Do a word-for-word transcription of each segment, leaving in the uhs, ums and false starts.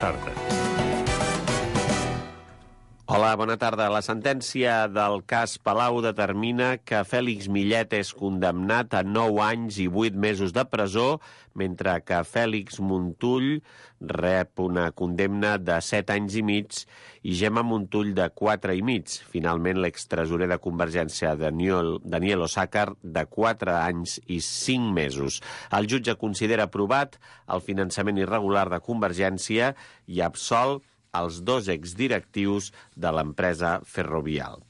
Tarda. Hola, bona tarda. La sentència del cas Palau determina que Fèlix Millet és condemnat a nou anys i vuit mesos de presó, mentre que Fèlix Montull rep una condemna de set anys i mig i Gemma Montull de quatre i mig. Finalment, l'extresorer de Convergència, Daniel, Daniel Osàcar, de quatre anys i cinc mesos. El jutge considera aprovat el finançament irregular de Convergència i absol els dos exdirectius de l'empresa Ferrovial.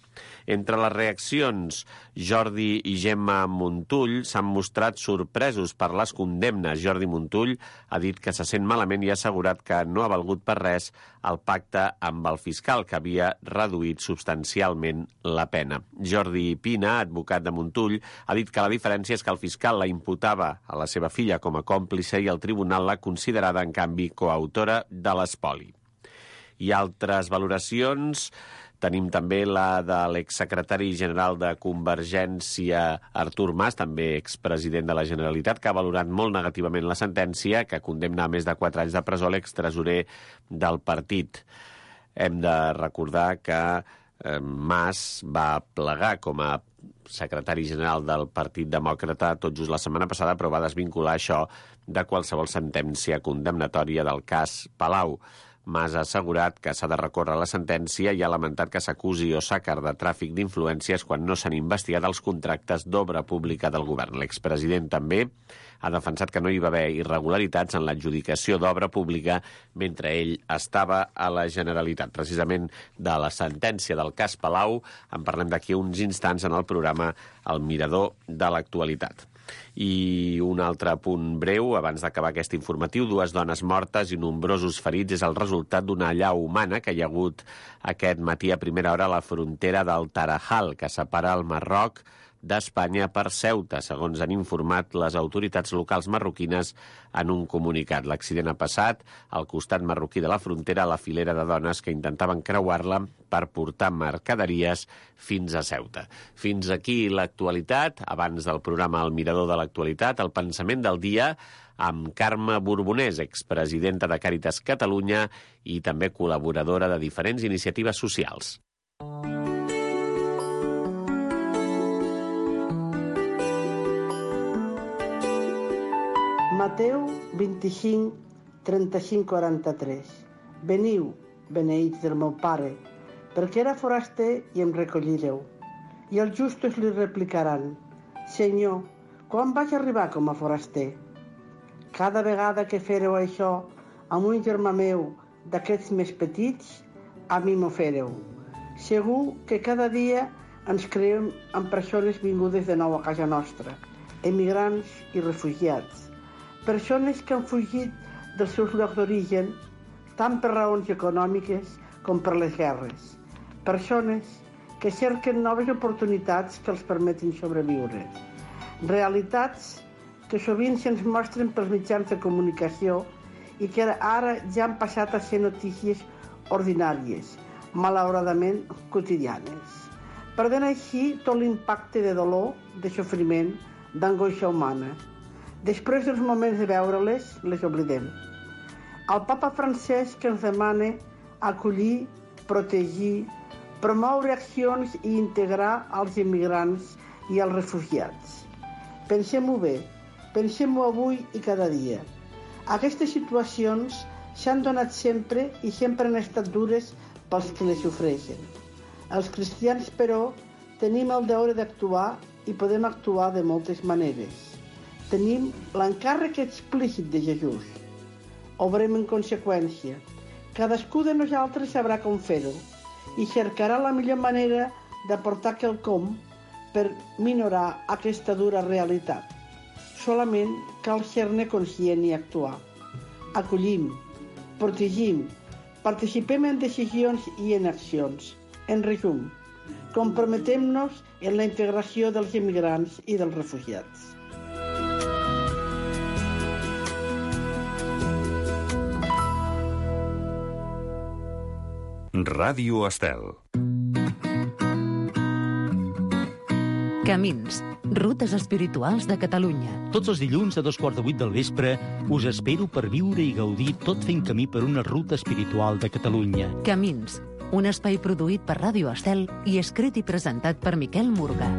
Entre les reaccions, Jordi i Gemma Montull s'han mostrat sorpresos per les condemnes. Jordi Montull ha dit que se sent malament i ha assegurat que no ha valgut per res el pacte amb el fiscal, que havia reduït substancialment la pena. Jordi Pina, advocat de Montull, ha dit que la diferència és que el fiscal la imputava a la seva filla com a còmplice i el tribunal l'ha considerada, en canvi, coautora de l'espoli. I altres valoracions, tenim també la de l'exsecretari general de Convergència, Artur Mas, també expresident de la Generalitat, que ha valorat molt negativament la sentència, que condemna a més de quatre anys de presó l'extresorer del partit. Hem de recordar que eh, Mas va plegar com a secretari general del Partit Demòcrata tot just la setmana passada, però va desvincular això de qualsevol sentència condemnatòria del cas Palau. Mas ha assegurat que s'ha de recórrer la sentència i ha lamentat que s'acusi Osàcar de tràfic d'influències quan no s'han investigat els contractes d'obra pública del govern. L'expresident també ha defensat que no hi va haver irregularitats en l'adjudicació d'obra pública mentre ell estava a la Generalitat. Precisament de la sentència del cas Palau en parlem d'aquí uns instants en el programa El Mirador de l'Actualitat. I un altre punt breu, abans d'acabar aquest informatiu: dues dones mortes i nombrosos ferits és el resultat d'una allau humana que hi ha hagut aquest matí a primera hora a la frontera del Tarajal, que separa el Marroc d'Espanya per Ceuta, segons han informat les autoritats locals marroquines en un comunicat. L'accident ha passat al costat marroquí de la frontera, a la filera de dones que intentaven creuar-la per portar mercaderies fins a Ceuta. Fins aquí l'actualitat. Abans del programa El Mirador de l'Actualitat, el pensament del dia amb Carme Borbonès, expresidenta de Càritas Catalunya i també col·laboradora de diferents iniciatives socials. Mateu vint-i-cinc, trenta-cinc, quaranta-tres. Veniu, beneïts del meu pare, perquè era foraster i em recollireu. I els justos li replicaran: Senyor, quan vaig arribar com a foraster? Cada vegada que fereu això amb un germà meu d'aquests més petits, a mi m'ho fereu. Segur que cada dia ens creem amb persones vingudes de nou a casa nostra, emigrants i refugiats. Persones que han fugit dels seus llocs d'origen, tant per raons econòmiques com per les guerres. Persones que cerquen noves oportunitats que els permetin sobreviure. Realitats que sovint se'ns mostren pels mitjans de comunicació i que ara ja han passat a ser notícies ordinàries, malauradament quotidianes, perdent així tot l'impacte de dolor, de sofriment, d'angoixa humana. Després dels moments de veure-les, les oblidem. El papa Francesc que ens demana acollir, protegir, promoure accions i integrar els immigrants i els refugiats. Pensem-ho bé, pensem-ho avui i cada dia. Aquestes situacions s'han donat sempre i sempre han estat dures pels que les sofreixen. Els cristians, però, tenim el deure d'actuar i podem actuar de moltes maneres. Tenim l'encàrrec explícit de Jesús. Obrem en conseqüència. Cadascú de nosaltres sabrà com fer-ho i cercarà la millor manera d'aportar quelcom per minorar aquesta dura realitat. Solament cal ser-ne conscient i actuar. Acollim, protegim, participem en decisions i en accions. En resum, comprometem-nos en la integració dels immigrants i dels refugiats. Ràdio Estel. Camins, Rutes espirituals de Catalunya. Tots els dilluns a dos quarts de vuit del vespre us espero per viure i gaudir tot fent camí per una ruta espiritual de Catalunya. Camins, un espai produït per Ràdio Estel i escrit i presentat per Miquel Murga.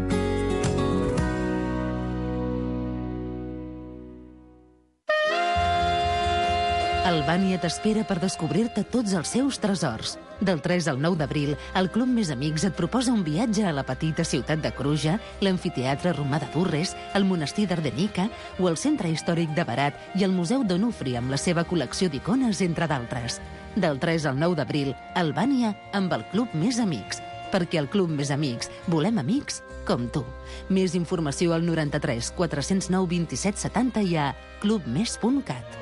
Albània t'espera per descobrir-te tots els seus tresors. Del tres al nou d'abril, el Club Més Amics et proposa un viatge a la petita ciutat de Cruja, l'amfiteatre romà de Durres, el monestir d'Ardenica o el centre històric de Barat i el Museu d'Onufri amb la seva col·lecció d'icones, entre d'altres. Del tres al nou d'abril, Albània amb el Club Més Amics. Perquè al Club Més Amics volem amics com tu. Més informació al noranta-tres quatre cents nou vint-i-set setanta i a clubmes punt cat.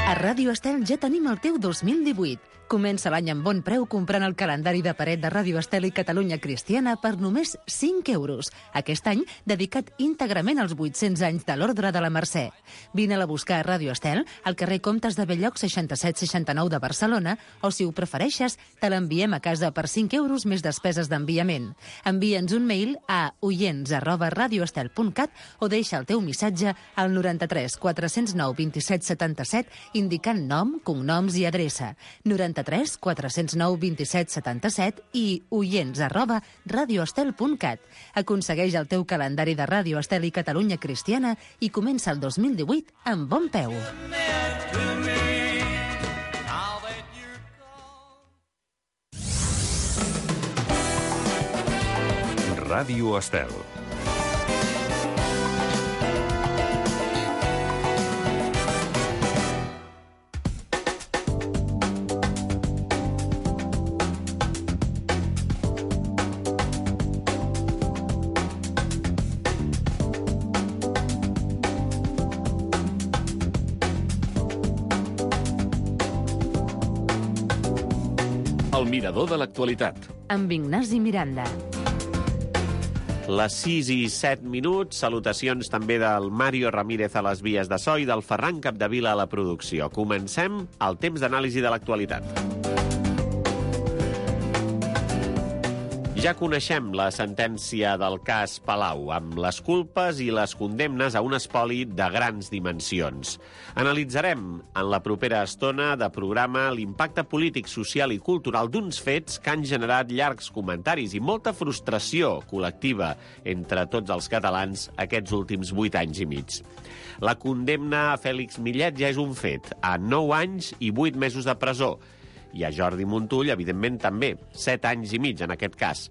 A Ràdio Estel ja tenim el teu dos mil divuit. Comença l'any amb bon preu comprant el calendari de paret de Ràdio Estel i Catalunya Cristiana per només cinc euros. Aquest any dedicat íntegrament als vuit-cents anys de l'Ordre de la Mercè. Vine-la a buscar a Ràdio Estel, al carrer Comtes de Belloc seixanta-set seixanta-nou de Barcelona, o si ho prefereixes, te l'enviem a casa per cinc euros més despeses d'enviament. Envia'ns un mail a oients arroba radioestel punt cat o deixa el teu missatge al noranta-tres quatre cents nou vint-i-set setanta-set indicant nom, cognoms i adreça. noranta-tres quatre cents nou vint-i-set setanta-set i oients arroba radioestel punt cat. Aconsegueix el teu calendari de Ràdio Estel i Catalunya Cristiana i comença el dos mil divuit amb bon peu. Ràdio Estel. El mirador de l'actualitat. Amb Ignasi Miranda. Les sis i set minuts, salutacions també del Mario Ramírez a les vies de so i del Ferran Capdevila a la producció. Comencem el temps d'anàlisi de l'actualitat. Ja coneixem la sentència del cas Palau, amb les culpes i les condemnes a un espoli de grans dimensions. Analitzarem en la propera estona de programa l'impacte polític, social i cultural d'uns fets que han generat llargs comentaris i molta frustració col·lectiva entre tots els catalans aquests últims vuit anys i mig. La condemna a Fèlix Millet ja és un fet, a nou anys i vuit mesos de presó. I a Jordi Montull, evidentment, també, set anys i mig en aquest cas,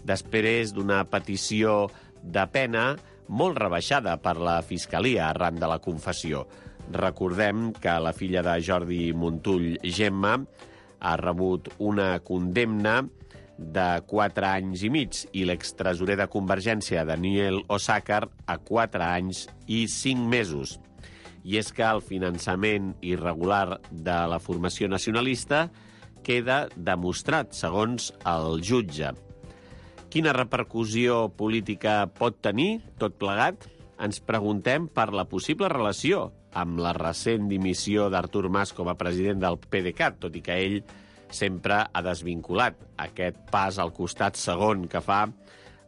després d'una petició de pena molt rebaixada per la Fiscalia arran de la confessió. Recordem que la filla de Jordi Montull, Gemma, ha rebut una condemna de quatre anys i mig i l'extresorer de Convergència, Daniel Osàcar, a quatre anys i cinc mesos. I és que el finançament irregular de la formació nacionalista queda demostrat, segons el jutge. Quina repercussió política pot tenir tot plegat? Ens preguntem per la possible relació amb la recent dimissió d'Artur Mas com a president del PDeCAT, tot i que ell sempre ha desvinculat aquest pas al costat segon que fa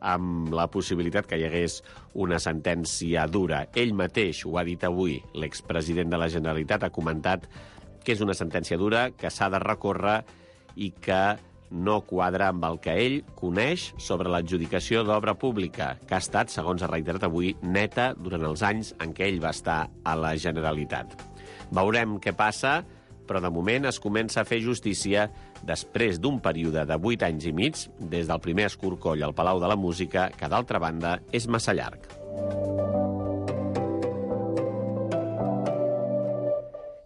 amb la possibilitat que hi hagués una sentència dura. Ell mateix ho ha dit avui. L'expresident de la Generalitat ha comentat que és una sentència dura, que s'ha de recórrer i que no quadra amb el que ell coneix sobre l'adjudicació d'obra pública, que ha estat, segons ha reiterat avui, neta durant els anys en què ell va estar a la Generalitat. Veurem què passa, però de moment es comença a fer justícia després d'un període de vuit anys i mig, des del primer escorcoll al Palau de la Música, que, d'altra banda, és massa llarg.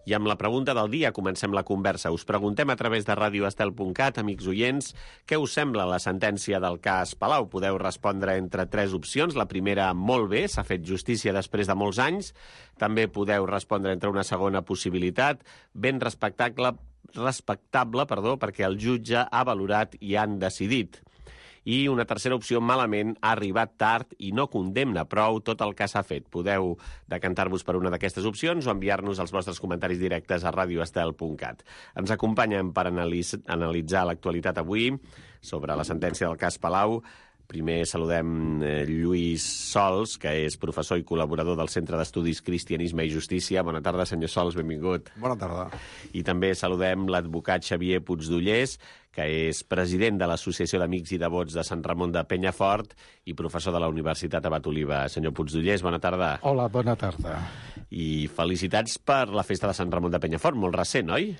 I amb la pregunta del dia comencem la conversa. Us preguntem a través de radioestel punt cat, amics oients, què us sembla la sentència del cas Palau? Podeu respondre entre tres opcions. La primera, molt bé, s'ha fet justícia després de molts anys. També podeu respondre entre una segona possibilitat, ben respectable, respectable, perdó, perquè el jutge ha valorat i han decidit. I una tercera opció, malament, ha arribat tard i no condemna prou tot el que s'ha fet. Podeu decantar-vos per una d'aquestes opcions o enviar-nos els vostres comentaris directes a radio estel punt cat. Ens acompanyen per analitzar l'actualitat avui sobre la sentència del cas Palau. Primer saludem eh, Lluís Sols, que és professor i col·laborador del Centre d'Estudis Cristianisme i Justícia. Bona tarda, senyor Sols, benvingut. Bona tarda. I també saludem l'advocat Xavier Puigdollers, que és president de l'Associació d'Amics i Devots de Sant Ramon de Penyafort i professor de la Universitat Abat Oliba. Senyor Puigdollers, bona tarda. Hola, bona tarda. I felicitats per la festa de Sant Ramon de Penyafort, molt recent, oi?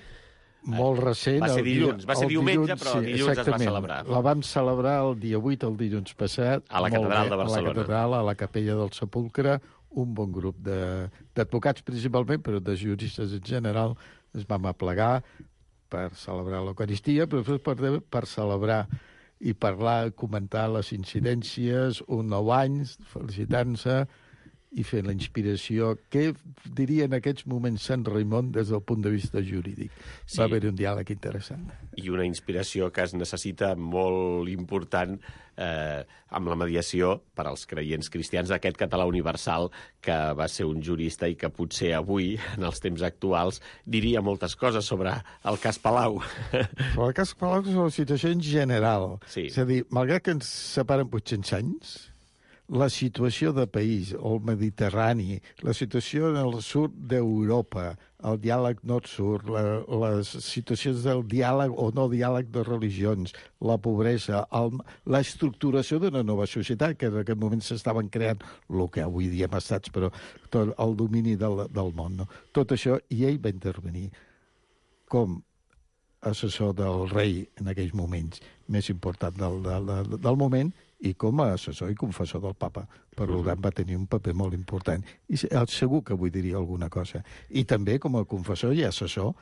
Molt recent. Va ser dilluns, va ser diumenge, dilluns, però dilluns es va celebrar. La vam celebrar el dia vuit, el dilluns passat. A la Catedral de Barcelona. A la Catedral, a la Capella del Sepulcre, un bon grup d'advocats principalment, però de juristes en general, es vam aplegar per celebrar l'Eucaristia, però per, per celebrar i parlar, comentar les incidències, un nou any, felicitant-se, i fer la inspiració, què diria en aquests moments Sant Raimon des del punt de vista jurídic. Sí. Va haver un diàleg interessant. I una inspiració que es necessita molt important eh, amb la mediació per als creients cristians d'aquest català universal que va ser un jurista i que potser avui, en els temps actuals, diria moltes coses sobre el cas Palau. Però el cas Palau és la situació en general. Sí. És a dir, malgrat que ens separen vuit-cents anys, la situació de país, el Mediterrani, la situació en el sud d'Europa, el diàleg nord-sud, la, les situacions del diàleg o no diàleg de religions, la pobresa, el, l'estructuració d'una nova societat, que en aquest moment s'estaven creant el que avui diem estats, però tot el domini del, del món. No? Tot això, i ell va intervenir com assessor del rei en aquells moments, més important del, del, del moment, i com a assessor i confessor del papa. Per tant, va tenir un paper molt important. I segur que avui diria alguna cosa. I també com a confessor i assessor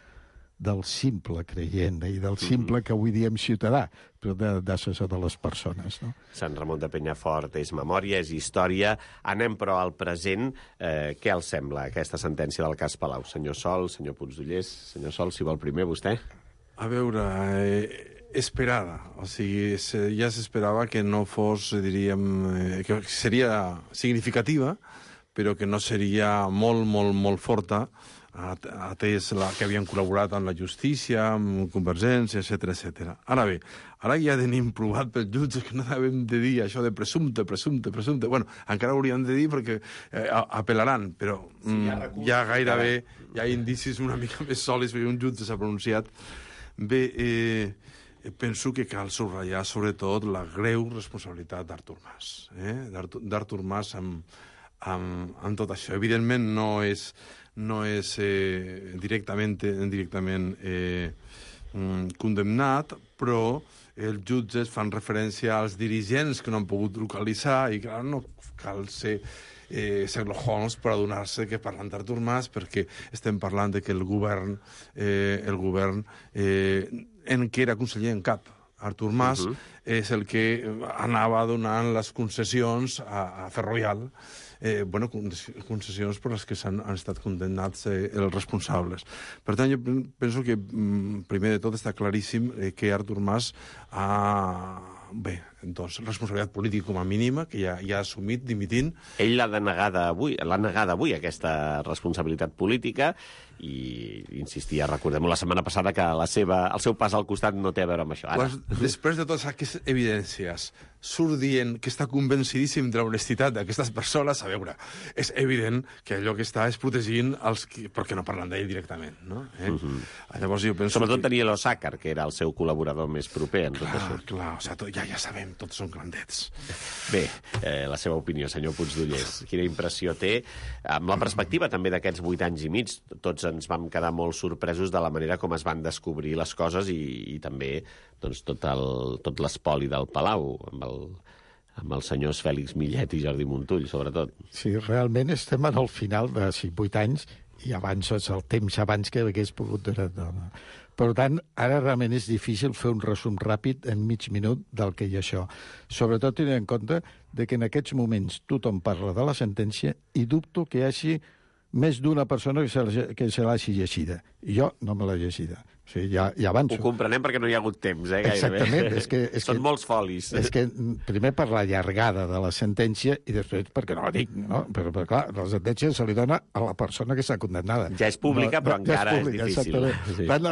del simple creient i del simple que avui diem ciutadà, però d'assessor de les persones. No? Sant Ramon de Penyafort és memòria, és història. Anem, però, al present. Eh, què els sembla aquesta sentència del cas Palau? Senyor Sol, senyor Puigdollers, senyor Sol, si vol primer, vostè? A veure... Eh... esperada, o sigui, ja s'esperava que no fos, diríem, eh, que seria significativa, però que no seria molt, molt, molt forta, atès la, que havien col·laborat amb la justícia, amb Convergència, etcètera, etcètera. Ara bé, ara ja tenim provat pels jutges que no devem de dir això de presumpte, presumpte, presumpte. Bueno, encara ho hauríem de dir perquè eh, apel·laran, però mm, sí, ja, ja gairebé hi ha indicis una mica més sòlids perquè un jutge s'ha pronunciat. Bé, eh, penso que cal subratllar sobretot la greu responsabilitat d'Artur Mas. Eh? D'Artur Mas amb, amb, amb tot això. Evidentment no és, no és eh, directament, directament eh, condemnat, però els jutges fan referència als dirigents que no han pogut localitzar i clar, no cal ser eh, Sherlock Holmes per adonar-se que parlant d'Artur Mas perquè estem parlant de que el govern, eh, el govern eh, en què era conseller en cap. Artur Mas uh -huh. és el que anava donant les concessions a, a Ferrovial, eh, bueno, concessions per les que han, han estat condemnats eh, els responsables. Per tant, jo penso que, primer de tot, està claríssim eh, que Artur Mas ha... Bé, doncs, responsabilitat política com a mínima, que ja, ja ha assumit, dimitint. Ell l'ha denegada avui, l'ha negada avui, aquesta responsabilitat política, i insistia, recordem la setmana passada, que la seva, el seu pas al costat no té a veure amb això. Ara. Pues, després de totes aquestes evidències, surt dient que està convencidíssim de l'honestitat d'aquestes persones, a veure, és evident que allò que està és protegint els que... perquè no parlen d'ell directament, no? Eh? Uh -huh. Llavors jo penso Sobretot que... tenia l'Osàcar, que era el seu col·laborador més proper en tot clar, això. Clar, o sigui, tot, ja, ja sabem, tots són grandets. Bé, eh, la seva opinió, senyor Puigdollers. Quina impressió té? Amb la perspectiva també d'aquests vuit anys i mig, tots ens vam quedar molt sorpresos de la manera com es van descobrir les coses i, i també doncs, tot, el, tot l'espoli del Palau, amb el, amb els senyors Fèlix Millet i Jordi Montull, sobretot. Sí, realment estem en el final de sí, vuit anys i abans és el temps abans que hagués pogut durar. Per tant, ara realment és difícil fer un resum ràpid en mig minut del que hi ha això. Sobretot tenint en compte de que en aquests moments tothom parla de la sentència i dubto que hi hagi més d'una persona que se, que se l'hagi llegida. Jo no me l'he llegida. sigui, ja, ja avanço. Ho comprenem perquè no hi ha hagut temps, eh, gairebé. Exactament. És que, és Són que, molts folis. És que, primer, per la llargada de la sentència i després perquè no la dic, no? Però, però clar, la sentència se li dona a la persona que està condemnada. Ja és pública, no, però no, encara ja és, pública, és difícil. Sí. Tant,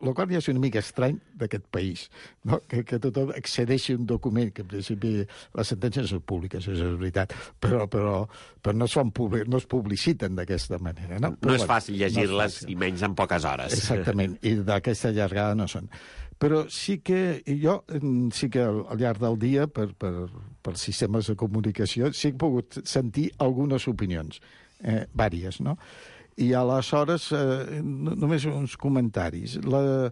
el qual ja és una mica estrany d'aquest país, no? que, que tothom accedeixi a un document, que en principi les sentències són públiques, això és veritat, però, però, però no, es fan public, no es publiciten d'aquesta manera. No, no és fàcil llegir-les, no i menys en poques hores. Exactament, i d'aquesta llargada no són. Però sí que jo, sí que al, al llarg del dia, per, per, per sistemes de comunicació, sí que he pogut sentir algunes opinions, eh, vàries, no? I aleshores, eh, només uns comentaris. La...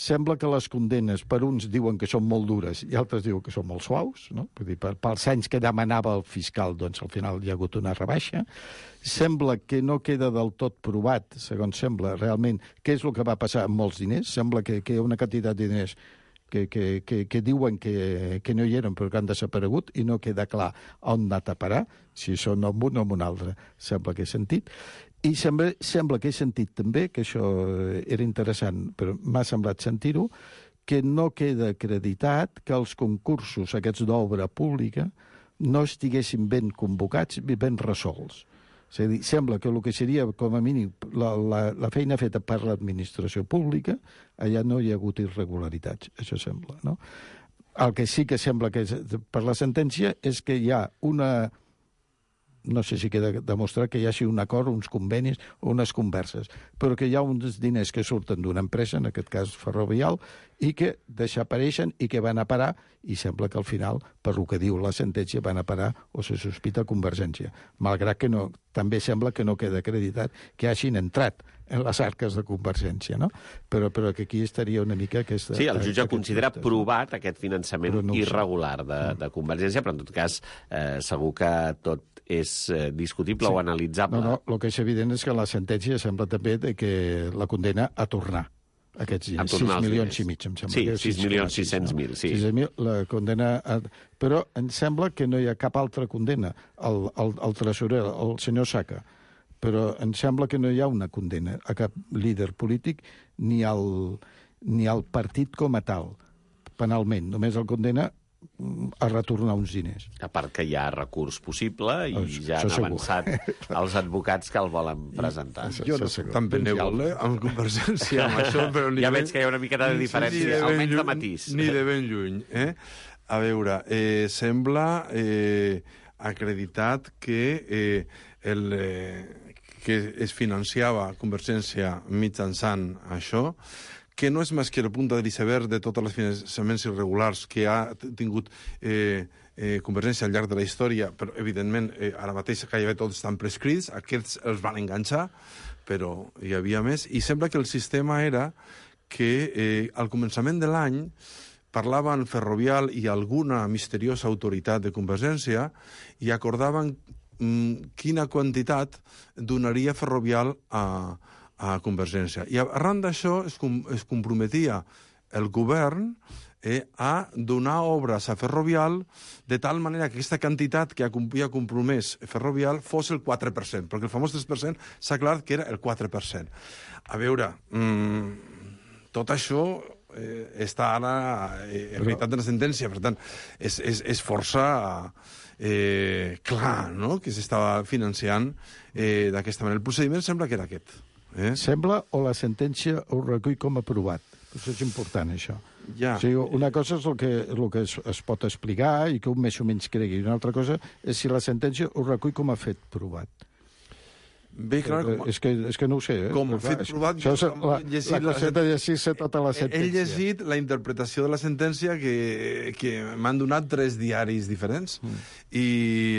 Sembla que les condenes, per uns diuen que són molt dures i altres diuen que són molt suaus, no? Vull dir, per, pels anys que demanava el fiscal, doncs al final hi ha hagut una rebaixa. Sembla que no queda del tot provat, segons sembla, realment, què és el que va passar amb molts diners. Sembla que, que hi ha una quantitat de diners que, que, que, que diuen que, que no hi eren però que han desaparegut i no queda clar on anar a parar, si són amb un o amb un altre. Sembla que he sentit. I sembla, sembla que he sentit també, que això era interessant, però m'ha semblat sentir-ho, que no queda acreditat que els concursos aquests d'obra pública no estiguessin ben convocats i ben resolts. És a dir, sembla que el que seria, com a mínim, la, la, la feina feta per l'administració pública, allà no hi ha hagut irregularitats, això sembla, no? El que sí que sembla que és, per la sentència és que hi ha una... no sé si queda demostrar que hi hagi un acord, uns convenis o unes converses, però que hi ha uns diners que surten d'una empresa, en aquest cas Ferrovial, i que desapareixen i que van a parar, i sembla que al final, per lo que diu la sentència, van a parar o se sospita Convergència. Malgrat que no, també sembla que no queda acreditat que hagin entrat en les arques de Convergència, no? Però, però que aquí estaria una mica aquesta... Sí, el jutge considera dubtes, provat no? aquest finançament no irregular de, de Convergència, però en tot cas eh, segur que tot és eh, discutible sí. o analitzable. No, no, el que és evident és que la sentència sembla també de que la condena a tornar aquests diners. sis milions i mig, em sembla. Sí, sis milions sis-cents mil, sí. sis mil, la condena... A... Però em sembla que no hi ha cap altra condena. El, el, el tresorer, el senyor Saca, però em sembla que no hi ha una condena a cap líder polític ni al, ni al partit com a tal, penalment. Només el condena a retornar uns diners. A part que hi ha recurs possible i oh, ja han avançat els advocats que el volen presentar. I, jo no soc tan benèvol, eh, amb Convergència, amb això, però ni ja de veig que hi ha una miqueta de diferència, sí, almenys de matís. Ni de ben lluny. Eh? A veure, eh, sembla eh, acreditat que, eh, el, eh, que es financiava Convergència mitjançant això, que no és més que el punt de l'iceberg de tots els finançaments irregulars que ha tingut eh, eh, Convergència al llarg de la història, però, evidentment, eh, ara mateix gairebé tots estan prescrits, aquests els van enganxar, però hi havia més, i sembla que el sistema era que eh, al començament de l'any parlaven Ferrovial i alguna misteriosa autoritat de Convergència i acordaven mm, quina quantitat donaria Ferrovial a a Convergència. I arran d'això es, com, es comprometia el govern eh, a donar obres a Ferrovial de tal manera que aquesta quantitat que havia compromès Ferrovial fos el quatre per cent, perquè el famós tres per cent s'ha aclarat que era el quatre per cent. A veure, mmm, tot això eh, està ara eh, en realitat de la sentència, per tant, és, és, és força eh, clar, no?, que s'estava financiant eh, d'aquesta manera. El procediment sembla que era aquest. Eh? Sembla o la sentència ho recull com aprovat. Això és important, això. Ja. O sigui, una cosa és el que, el que es, es pot explicar i que un més o menys cregui, i una altra cosa és si la sentència ho recull com a fet provat. Bé, clar, com a... és, que, és que no ho sé. Eh? Com a fet provat... Això és la, la cosa de llegir-se tota la sentència. He llegit la interpretació de la sentència que, que m'han donat tres diaris diferents. Mm. I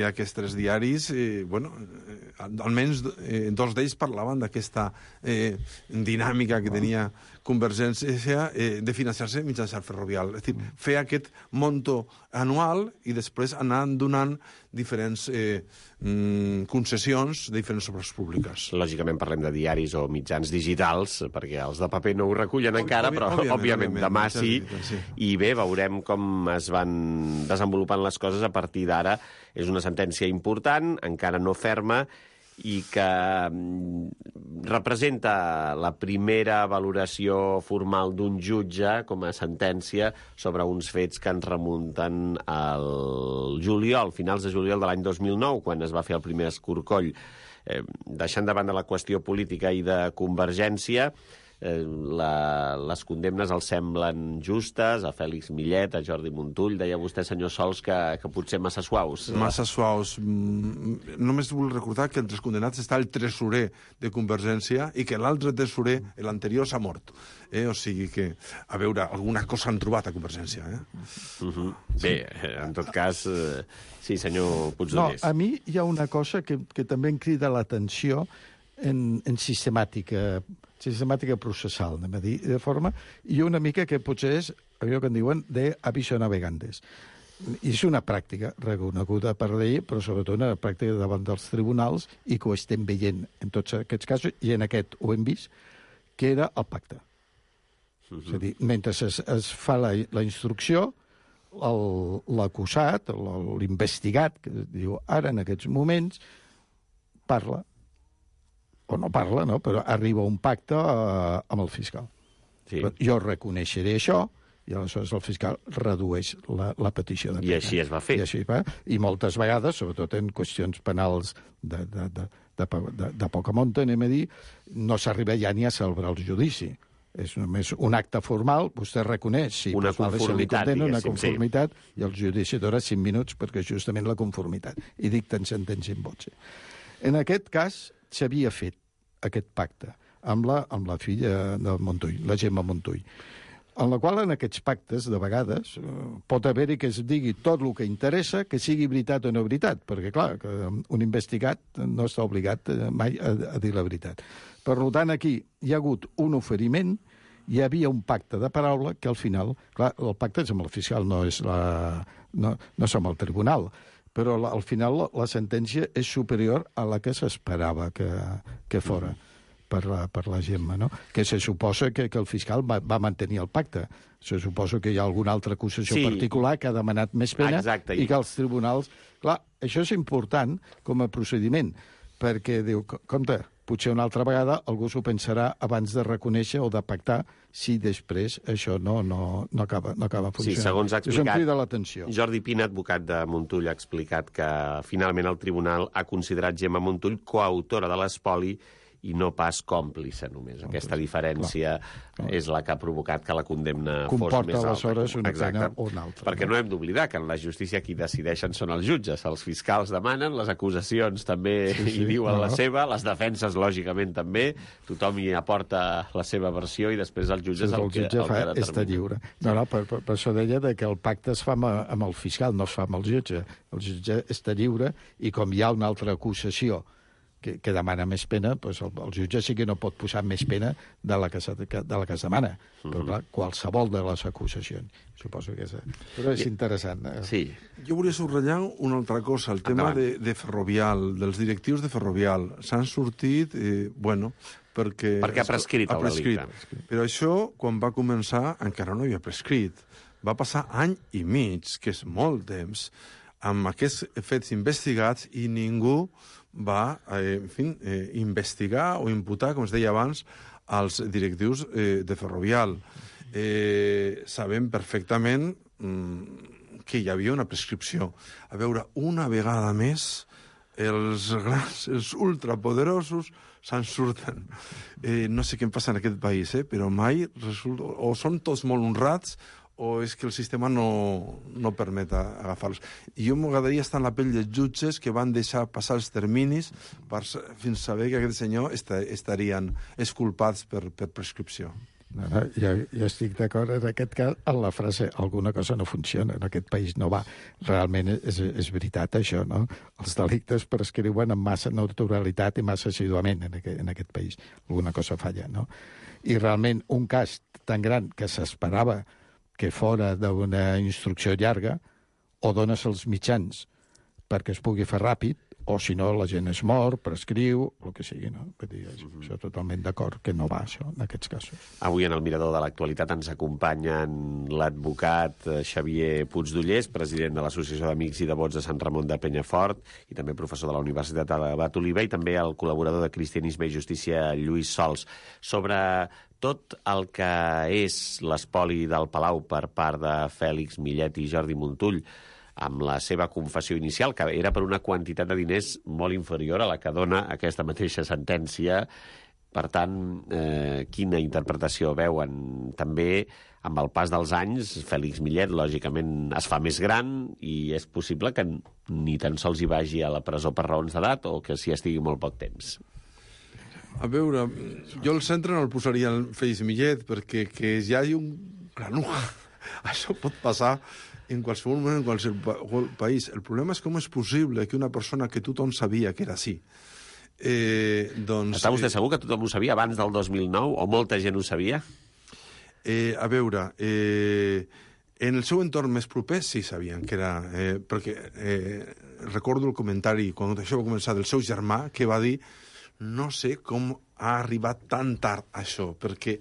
aquests tres diaris, eh, bueno, eh, almenys eh, dos d'ells parlaven d'aquesta eh, dinàmica que tenia Convergència eh, de financiar-se mitjançant Ferrovial. És a dir, mm. fer aquest monto anual i després anar donant diferents eh, mm, concessions de diferents obres públiques. Lògicament parlem de diaris o mitjans digitals, perquè els de paper no ho recullen Ob encara, però òbviament, òbviament, òbviament demà sí. sí. I bé, veurem com es van desenvolupant les coses a partir d'ara. És una sentència important, encara no ferma, i que representa la primera valoració formal d'un jutge com a sentència sobre uns fets que ens remunten al juliol, finals de juliol de l'any dos mil nou, quan es va fer el primer escorcoll. Eh, deixant de banda la qüestió política i de convergència, Eh, la, les condemnes els semblen justes, a Fèlix Millet, a Jordi Montull. Deia vostè, senyor Sols, que, que potser massa suaus. Massa suaus. Mm, només vull recordar que entre els condenats està el tresorer de Convergència i que l'altre tresorer, l'anterior, s'ha mort. Eh? O sigui que, a veure, alguna cosa han trobat a Convergència. Eh? Uh-huh. Bé, en tot cas, eh, sí, senyor Puigdemont. No, a mi hi ha una cosa que, que també em crida l'atenció en, en sistemàtica sistemàtica processal, anem a dir, de forma, i una mica que potser és allò que en diuen de aviso navegantes. I és una pràctica reconeguda per llei, però sobretot una pràctica davant dels tribunals i que ho estem veient en tots aquests casos, i en aquest ho hem vist, que era el pacte. Uh-huh. És a dir, mentre es, es fa la, la instrucció, l'acusat, l'investigat, que diu ara en aquests moments, parla, o no parla, no? Però arriba a un pacte eh, amb el fiscal. Sí. Jo reconeixeré això, i aleshores el fiscal redueix la, la petició de pena. I així es va fer. I, així va. I moltes vegades, sobretot en qüestions penals de, de, de, de, de, de poca monta, anem a dir, no s'arriba ja ni a celebrar el judici. És només un acte formal, vostè reconeix, sí, una conformitat, condena, una conformitat, sí. I el judici dura cinc minuts perquè justament la conformitat. I dicten sentència en voce. En aquest cas s'havia fet aquest pacte amb la, amb la filla de Montull, la Gemma Montull, en la qual en aquests pactes, de vegades, pot haver-hi que es digui tot el que interessa, que sigui veritat o no veritat, perquè, clar, que un investigat no està obligat mai a, a dir la veritat. Per tant, aquí hi ha hagut un oferiment, hi havia un pacte de paraula que al final, clar, el pacte és amb el fiscal, no és la, no, no som el tribunal, però la, al final la, la sentència és superior a la que s'esperava que, que fora per la, per la Gemma, no? Que se suposa que, que el fiscal va, va mantenir el pacte. Se suposa que hi ha alguna altra acusació sí. particular que ha demanat més pena. Exacte. I que els tribunals... Clar, això és important com a procediment, perquè diu, compte, potser una altra vegada algú s'ho pensarà abans de reconèixer o de pactar si després això no, no, no, acaba, no acaba funcionant. Sí, segons ha explicat, això em crida l'atenció. Jordi Pina, advocat de Montull, ha explicat que finalment el tribunal ha considerat Gemma Montull coautora de l'espoli i no pas còmplice només. Còmplice. Aquesta diferència clar, clar. és la que ha provocat que la condemna comporta fos més alta. Comporta aleshores una Exacte. pena o una altra. Perquè no hem d'oblidar que en la justícia qui decideixen són els jutges. Els fiscals demanen, les acusacions també sí, sí. hi diuen no. la seva, les defenses, lògicament, també. Tothom hi aporta la seva versió i després els jutges sí, el, el que, jutge el fa, que determina. Està lliure. No, no, per, per, per això deia que el pacte es fa amb, amb el fiscal, no es fa amb el jutge. El jutge està lliure i com hi ha una altra acusació que, que demana més pena, doncs el, el jutge sí que no pot posar més pena de la que, de la que es demana. Uh-huh. Però clar, qualsevol de les acusacions. Suposo que és... Però és interessant. Eh? Sí. Jo volia subratllar una altra cosa, el tema de, de Ferrovial, dels directius de Ferrovial. S'han sortit, eh, bueno, perquè... Perquè ha prescrit el delicte. Però això, quan va començar, encara no hi havia prescrit. Va passar any i mig, que és molt temps, amb aquests fets investigats i ningú va eh, en fi, eh, investigar o imputar, com es deia abans, als directius eh, de Ferrovial. Eh, sabem perfectament mm, que hi havia una prescripció. A veure, una vegada més, els grans, els ultrapoderosos se'n surten. Eh, no sé què em passa en aquest país, eh, però mai resulta... O són tots molt honrats o és que el sistema no, no permet agafar-los. I jo m'agradaria estar en la pell dels jutges que van deixar passar els terminis per, fins a saber que aquest senyor estarien exculpats per, per prescripció. No, no, jo, jo estic d'acord en aquest cas en la frase alguna cosa no funciona, en aquest país no va. Realment és, és veritat això, no? Els delictes prescriuen amb massa naturalitat i massa assiduament en aquest, en aquest país. Alguna cosa falla, no? I realment un cas tan gran que s'esperava que fora d'una instrucció llarga, o dones els mitjans perquè es pugui fer ràpid, o si no, la gent es mor, prescriu, el que sigui, no? Vull dir, mm-hmm. això totalment d'acord, que no va, això, en aquests casos. Avui en el Mirador de l'Actualitat ens acompanyen l'advocat Xavier Puigdollers, president de l'Associació d'Amics i Devots de Sant Ramon de Penyafort, i també professor de la Universitat de Abat Oliver, i també el col·laborador de Cristianisme i Justícia, Lluís Sols, sobre tot el que és l'espoli del Palau per part de Fèlix Millet i Jordi Montull, amb la seva confessió inicial, que era per una quantitat de diners molt inferior a la que dona aquesta mateixa sentència. Per tant, eh, quina interpretació veuen? També, amb el pas dels anys, Fèlix Millet, lògicament, es fa més gran i és possible que ni tan sols hi vagi a la presó per raons d'edat o que s'hi estigui molt poc temps. A veure, jo el centre no el posaria en Fèlix Millet, perquè que hi hagi un granuja, això pot passar en qualsevol moment, en qualsevol país. El problema és com és possible que una persona que tothom sabia que era així. Eh, doncs, Està vostè segur que tothom ho sabia abans del dos mil nou, o molta gent ho sabia? Eh, a veure, eh, en el seu entorn més proper sí sabien que era... Eh, perquè eh, recordo el comentari, quan això va començar, del seu germà, que va dir no sé com ha arribat tan tard això, perquè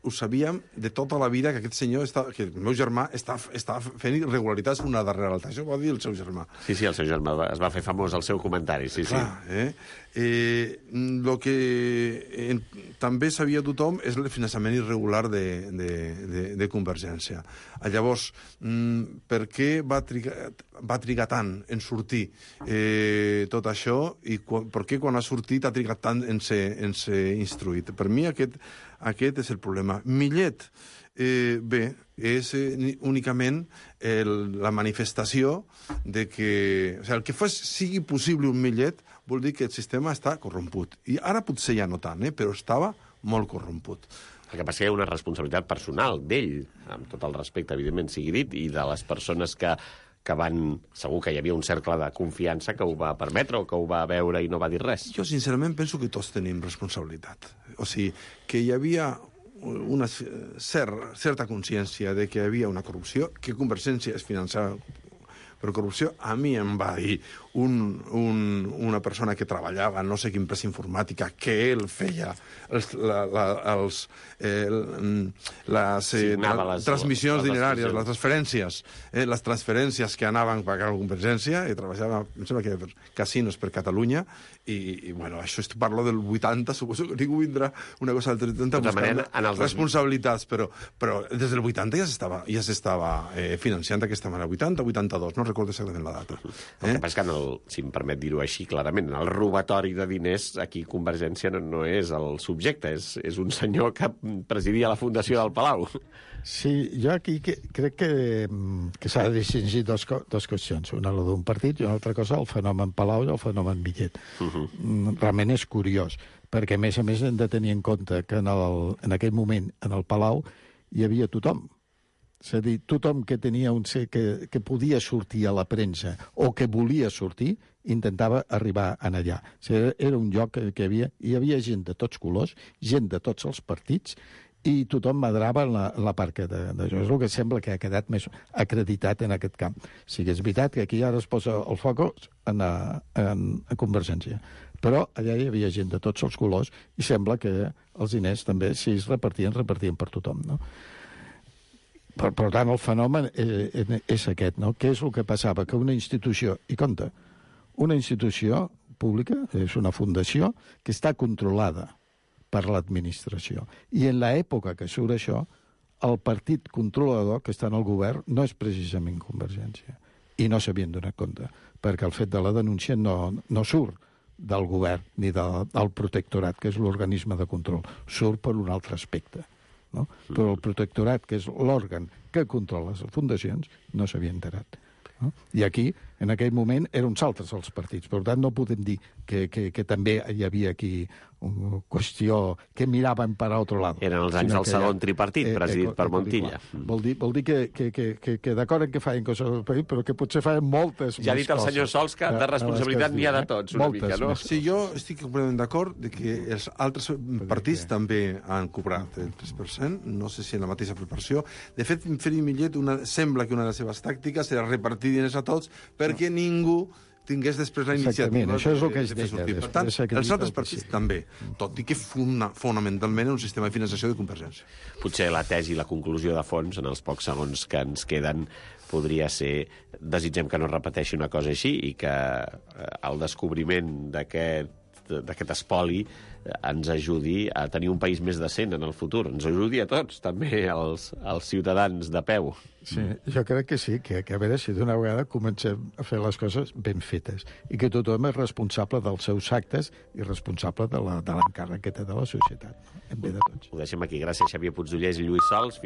ho sabíem de tota la vida que aquest senyor, està, que el meu germà, està, està fent irregularitats una darrere l'altra. Això ho va dir el seu germà. Sí, sí, el seu germà es va fer famós el seu comentari, sí, Clar, sí. Eh? Eh, lo que eh, també sabia tothom és el finançament irregular de, de, de, de Convergència. Llavors, mm, per què va trigar, va trigar tant en sortir eh, tot això i per què quan ha sortit ha trigat tant en ser, en ser instruït? Per mi aquest, aquest és el problema. Millet, eh, bé, és eh, únicament el, la manifestació de que... O sigui, el que fos, sigui possible un Millet vol dir que el sistema està corromput. I ara potser ja no tant, eh, però estava molt corromput. El que passa que hi ha una responsabilitat personal d'ell, amb tot el respecte, evidentment, sigui dit, i de les persones que, que van... Segur que hi havia un cercle de confiança que ho va permetre o que ho va veure i no va dir res. Jo, sincerament, penso que tots tenim responsabilitat. O sigui, que hi havia una cer certa consciència de que hi havia una corrupció, que Convergència es finançava per corrupció. A mi em va dir un, un, una persona que treballava en no sé quina empresa informàtica que ell feia els, la, la, els, eh, les eh, tra les, transmissions les, dineràries, les transferències, eh, les transferències que anaven a pagar la Convergència, i treballava, em sembla que per casinos per Catalunya, i, i bueno, això és, parlo del vuitanta, suposo que ningú vindrà una cosa del trenta buscant manera, responsabilitats, però, però des del vuitanta ja s'estava ja s'estava eh, financiant d'aquesta manera, vuitanta, vuitanta-dos, no recordo exactament la data. Eh? El que passa és que, en el, si em permet dir-ho així clarament, en el robatori de diners, aquí Convergència no, no és el subjecte, és, és un senyor que presidia la Fundació del Palau. Sí, jo aquí que, crec que, que s'ha de distingir dos, dos qüestions. Una la d'un partit i una altra cosa el fenomen Palau i el fenomen Millet. Uh -huh. Realment és curiós, perquè a més a més hem de tenir en compte que en, el, en aquell moment en el Palau hi havia tothom. És a dir, tothom que tenia un ser que, que podia sortir a la premsa o que volia sortir, intentava arribar en allà. O sigui, era un lloc que, que hi havia, hi havia gent de tots colors, gent de tots els partits, i tothom madrava en la, en la part que d'això. És el que sembla que ha quedat més acreditat en aquest camp. Sí que és veritat que aquí ara es posa el focus en, a, en a Convergència. Però allà hi havia gent de tots els colors i sembla que els diners també, si es repartien, repartien per tothom, no? Per, per tant, el fenomen és, és aquest, no? Què és el que passava? Que una institució, i compte, una institució pública, és una fundació, que està controlada per l'administració. I en l'època que surt això, el partit controlador que està en el govern no és precisament Convergència. I no s'havien donat compte, perquè el fet de la denúncia no, no surt del govern ni de, del protectorat, que és l'organisme de control. Surt per un altre aspecte. No? Però el protectorat, que és l'òrgan que controla les fundacions, no s'havia enterat. No? I aquí, en aquell moment, eren uns altres els partits. Per tant, no podem dir que, que, que també hi havia aquí una qüestió que miraven per a altre lado. Eren els anys del segon tripartit, presidit per Montilla. Vol dir, vol dir que, que, que, que, que d'acord en que feien coses del país, però que potser feien moltes ja ha dit el senyor Sols que de responsabilitat n'hi ha de tots, una mica, no? Sí, jo estic completament d'acord de que els altres partits també han cobrat el tres per cent, no sé si en la mateixa proporció. De fet, Fèlix Millet una, sembla que una de les seves tàctiques era repartir diners a tots perquè ningú tingués després la Exactament, iniciativa això és el de, que es de fer deia, sortir. Per després tant, s'acredita els altres que partits sí. també, tot i que funda, fonamentalment és un sistema de finançació de Convergència. Potser la tesi i la conclusió de fons, en els pocs segons que ens queden, podria ser desitgem que no es repeteixi una cosa així i que eh, el descobriment d'aquest d'aquest espoli ens ajudi a tenir un país més decent en el futur. Ens ajudi a tots, també als, als ciutadans de peu. Sí, jo crec que sí, que, que a veure si d'una vegada comencem a fer les coses ben fetes i que tothom és responsable dels seus actes i responsable de l'encàrrec que té de la societat, en bé de tots. Ho deixem aquí. Gràcies, Xavier Puigdollers i Lluís Sols. Fins